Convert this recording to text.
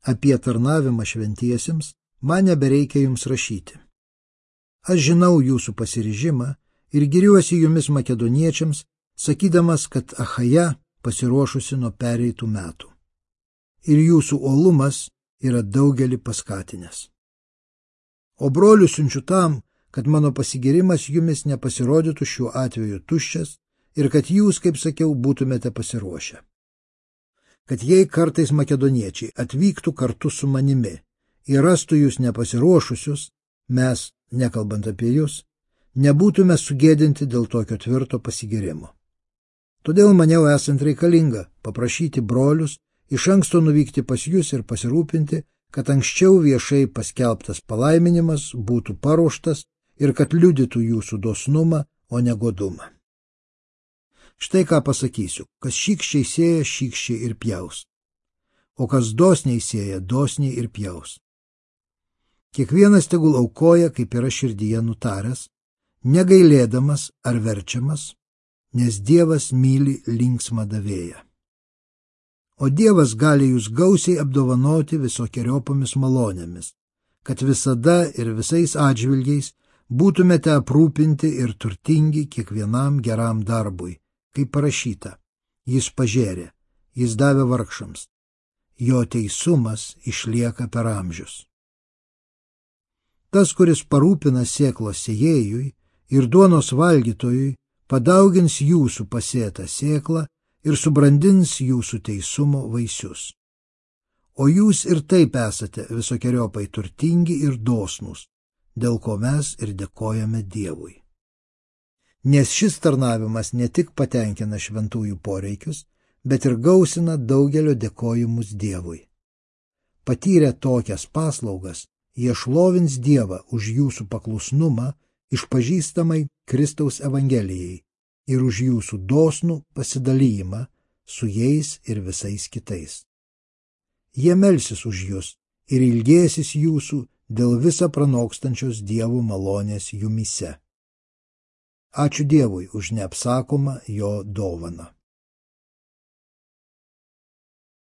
Apie tarnavimą šventiesiems man nebereikia jums rašyti. Aš žinau jūsų pasiryžimą ir giriuosi jumis makedoniečiams, sakydamas, kad Achaja pasiruošusi nuo pereitų metų. Ir jūsų uolumas yra daugelį paskatinęs. O brolių siunčiu tam, kad mano pasigirimas jumis nepasirodytų šiuo atveju tuščias ir kad jūs, kaip sakiau, būtumėte pasiruošę. Kad jei kartais makedoniečiai atvyktų kartu su manimi ir rastų jūs nepasiruošusius, mes, nekalbant apie jūs, nebūtume sugėdinti dėl tokio tvirto pasigirimo. Todėl maniau esant reikalinga paprašyti brolius iš anksto nuvykti pas jūs ir pasirūpinti, kad anksčiau viešai paskelbtas palaiminimas būtų paruoštas ir kad liudytų jūsų dosnumą, o ne godumą. Štai ką pasakysiu, kas šykščiai sėja, šykščiai ir pjaus, o kas dosniai sėja, dosniai ir pjaus. Kiekvienas tegul aukoja, kaip yra širdyje nutaręs, negailėdamas ar verčiamas, nes Dievas myli linksmą davėją. O Dievas gali jūs gausiai apdovanoti visokiojopomis malonėmis, kad visada ir visais atžvilgiais būtumėte aprūpinti ir turtingi kiekvienam geram darbui, kaip parašyta, jis pažėrė, jis davė vargšams, jo teisumas išlieka per amžius. Tas, kuris parūpina sėklos sėjėjui ir duonos valgytojui, padaugins jūsų pasėtą sėklą ir subrandins jūsų teisumo vaisius. O jūs ir taip esate visokiojopai turtingi ir dosnūs, dėl ko mes ir dėkojame Dievui. Nes šis tarnavimas ne tik patenkina šventųjų poreikius, bet ir gausina daugelio dėkojimus Dievui. Patyrę tokias paslaugas, jie šlovins Dievą už jūsų paklusnumą išpažįstamai Kristaus Evangelijai ir už jūsų dosnų pasidalijimą su jais ir visais kitais. Jie melsis už jus ir ilgėsis jūsų dėl visą pranokstančios Dievo malonės jumyse. Ačiū Dievui už neapsakomą jo dovaną.